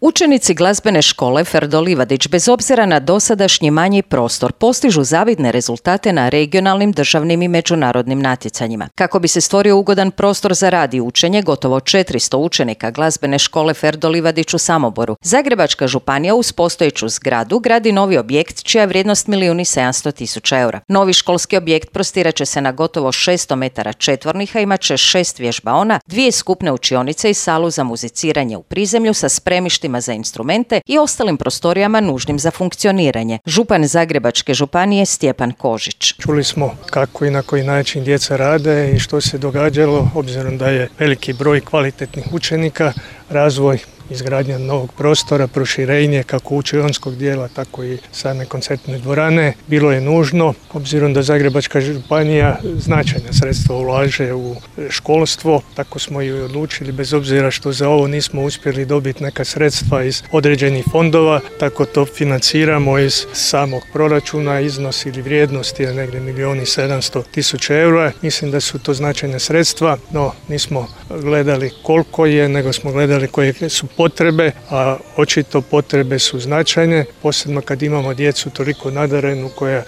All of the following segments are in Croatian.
Učenici glazbene škole Ferdo Livadić bez obzira na dosadašnji manji prostor postižu zavidne rezultate na regionalnim, državnim i međunarodnim natjecanjima. Kako bi se stvorio ugodan prostor za rad i učenje, gotovo 400 učenika glazbene škole Ferdo Livadić u Samoboru, Zagrebačka županija uz postojeću zgradu gradi novi objekt čija je vrijednost 1.700.000 eura. Novi školski objekt prostirat će se na gotovo 600 metara četvornih, a imat će 6 vježbaona, 2 skupne učionice i salu za muziciranje u prizemlju sa spremištima za instrumente i ostalim prostorijama nužnim za funkcioniranje. Župan Zagrebačke županije Stjepan Kožić. Čuli smo kako i na koji način djeca rade i što se događalo, obzirom da je veliki broj kvalitetnih učenika, razvoj, izgradnja novog prostora, proširenje kako učionskog dijela, tako i same koncertne dvorane. Bilo je nužno, obzirom da Zagrebačka županija značajna sredstva ulaže u školstvo, tako smo i odlučili, bez obzira što za ovo nismo uspjeli dobiti neka sredstva iz određenih fondova, tako to financiramo iz samog proračuna. Iznos ili vrijednost je negdje 1.700.000 eura. Mislim da su to značajna sredstva, no nismo gledali koliko je, nego smo gledali koje su potrebe, a očito potrebe su značajne, posebno kad imamo djecu toliko nadarenu koja,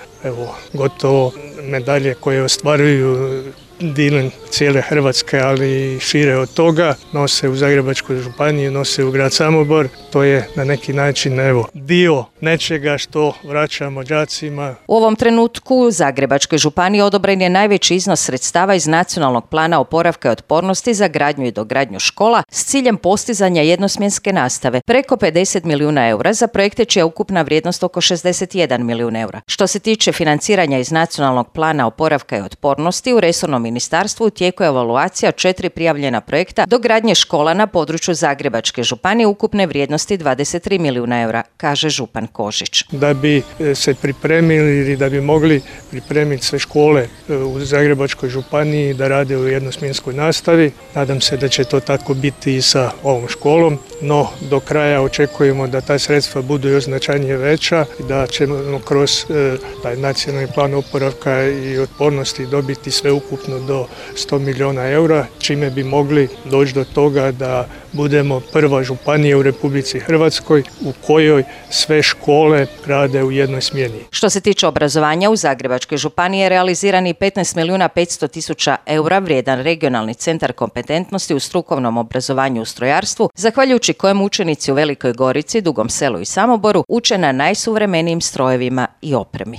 gotovo medalje koje ostvaruju dilem cijele Hrvatske, ali i šire od toga, nose u Zagrebačkoj županiji, nose u grad Samobor. To je na neki način dio nečega što vraćamo đacima. U ovom trenutku u Zagrebačkoj županiji odobren je najveći iznos sredstava iz Nacionalnog plana oporavka i otpornosti za gradnju i dogradnju škola s ciljem postizanja jednosmjenske nastave, preko 50 milijuna eura za projekte čija ukupna vrijednost oko 61 milijun eura. Što se tiče financiranja iz Nacionalnog plana oporavka i otpornosti, u resornom ministarstvu u tijeku je evaluacija 4 prijavljena projekta dogradnje škola na području Zagrebačke županije ukupne vrijednosti 23 milijuna eura, kaže župan Kožić. Da bi se pripremili ili da bi mogli pripremiti sve škole u Zagrebačkoj županiji da rade u jednosmjenskoj nastavi, nadam se da će to tako biti i sa ovom školom, no do kraja očekujemo da ta sredstva budu još značajnije veća i da ćemo kroz taj nacionalni plan oporavka i otpornosti dobiti sve ukupno do 100 milijuna eura, čime bi mogli doći do toga da budemo prva županija u Republici Hrvatskoj u kojoj sve škole rade u jednoj smjeni. Što se tiče obrazovanja, u Zagrebačkoj županiji je realiziran i 15.500.000 eura vrijedan regionalni centar kompetentnosti u strukovnom obrazovanju u strojarstvu, zahvaljujući kojem učenici u Velikoj Gorici, Dugom Selu i Samoboru uče na najsuvremenijim strojevima i opremi.